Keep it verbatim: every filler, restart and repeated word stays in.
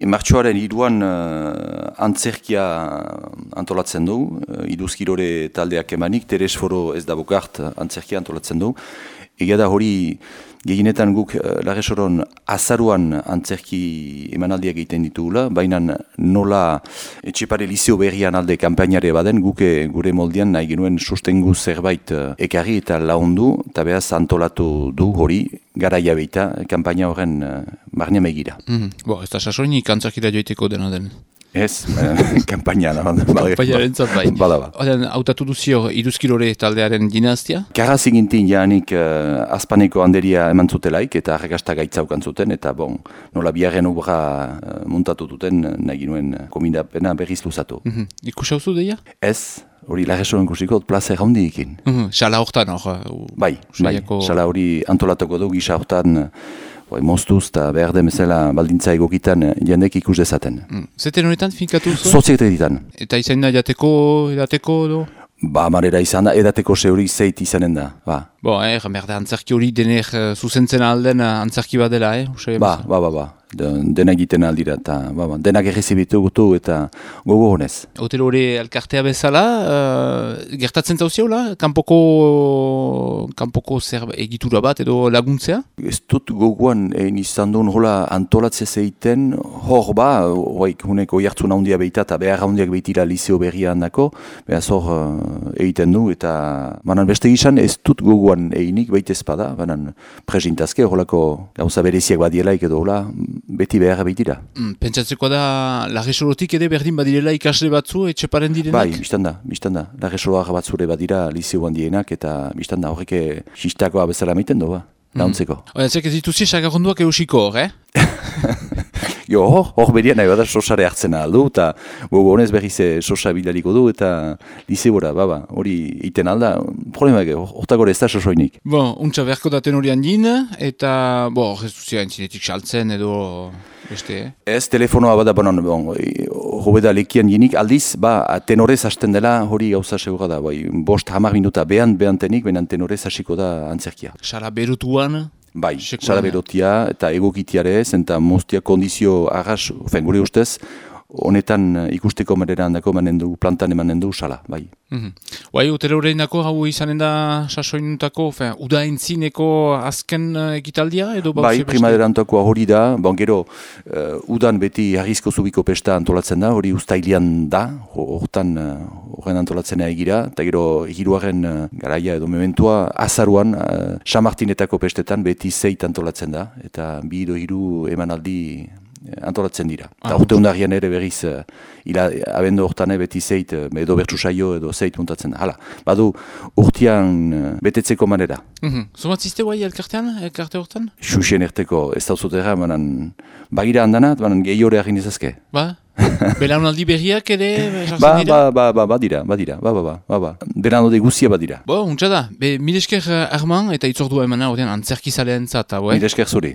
Martxoaren hiruan uh, antzerkia antolatzen du, uh, iduzkirore taldeak emanik, Teres Foro ez da bokart antzerkia antolatzen du. Egia da hori gehienetan guk uh, Larresoron azaruan antzerki emanaldiak egiten ditugula, baina nola Etxepare Lizeo berrian alde kanpainare baden, guk gure moldean nahi genuen sustengu zerbait uh, ekarri eta laundu, eta behaz antolatu du hori, garaia beita, kanpaina horren uh, marnia megira. Mm, bo, ez da sasoinik antzerkira joiteko dena den. Ez, kanpaina da. Kanpaina entzat bain. Bada ba. Oden, hautatu duzio iduzkilore taldearen dinastia? Karraz egintin jaanik uh, azpaneko handeria eman zutelaik eta arrakasta gaitzaukan zuten, eta bon, nola biharren obra uh, muntatu duten nahi ginuen komindapena berriz luzatu. Mm -hmm. Ikus hauzu deia? Ez, hori Larresoren kusiko plaza erraundi ikin. Mm -hmm. Xala hortan hor? Bai, bai, xala hori antolatuko du gisa hortan, Bai, moztuz eta behar demezela baldintza egokitan jendek ikus dezaten. Mm. Zeten honetan finkatu zu? Soziete ditan. Eta izan da jateko, edateko do? Ba, marera izan da, edateko ze hori zeit izanen da, ba. Bo, eh, merde, antzerki hori dener uh, zuzentzen alden uh, antzerki bat dela, eh? Usai, ba, ba, ba, ba, De, dena egiten aldira, eta ba, ba, denak errezibitu gutu eta gogo honez. Hotel hori elkartea bezala, uh, gertatzen zauziaula, kanpoko, kanpoko zer egitura bat edo laguntzea? Ez dut gogoan egin izan duen hola antolatzea zeiten, hor ba, hoik huneko jartzun handia behita eta behar handiak behitira Lizeo berria handako, behaz hor uh, egiten du, eta banan beste gizan ez dut gogoan eginik behit ezpada, banan presintazke horrelako gauza bereziak badielaik edo hola, beti behar behitira. Mm, pentsatzeko da, Larresolotik ere berdin badirela ikasle batzu, Etxeparen direnak? Bai, biztan da, biztan da. Larresoloak batzure badira Lizeo handienak, eta biztan da horreke xistakoa bezala meiten du, ba, launtzeko. Mm. Oia, zek ez dituzi sagarronduak eusiko hor, eh? Jo, hor, hor berian nahi bada sosare hartzen aldu, eta gogo honez berriz sosa bidaliko du, eta Lizeora, baba, hori iten alda, problema ege, hortagore ez da sosoinik. Bo, untsa beharko daten hori handin, eta, bo, ez duzia entzinetik saltzen edo, beste, eh? Ez, telefonoa bada, bonan, bon, hobeda lekian jinik, aldiz, ba, tenorez hasten dela hori gauza segura da, bai, bost hamar minuta behan, behantenik, behan tenorez hasiko da antzerkia. Sara berutuan? Bai, sala berotia eta egokitiarez, eta moztia kondizio arras, ofen, gure ustez, honetan ikusteko manera handako emanen du, plantan emanen du, sala, bai. Mm-hmm. Bai, hotel horreinako hau izanen da sasoinutako, uda entzineko azken uh, ekitaldia edo? Bai, primaderantako hori da, bon, gero, uh, udan beti harrizko zubiko pesta antolatzen da, hori ustailian da, hortan horren uh, antolatzen egira, eta gero hiruaren uh, garaia edo mementua azaruan, uh, Samartinetako pestetan beti zeit antolatzen da, eta bi edo hiru emanaldi antolatzen dira. Eta urte ah, undarian ere berriz, uh, ila, abendu hortan beti zeit, uh, edo bertsu saio edo zeit muntatzen da. Hala, badu urtean uh, betetzeko manera. Mm-hmm. Zomatzizte guai elkartean, elkarte hortan? Xuxien erteko ez dauzotera, banan bagira handanat, banan gehiore agin ezazke. Ba? Belaunaldi berriak ere? ba, ba, ba, ba, ba dira, ba dira, ba, ba, ba, ba, ba. Belanode guzia ba dira. Bo, untsa da, be, milesker Arman eta itzordua emana horrean antzerkizalean zata, Milesker zuri.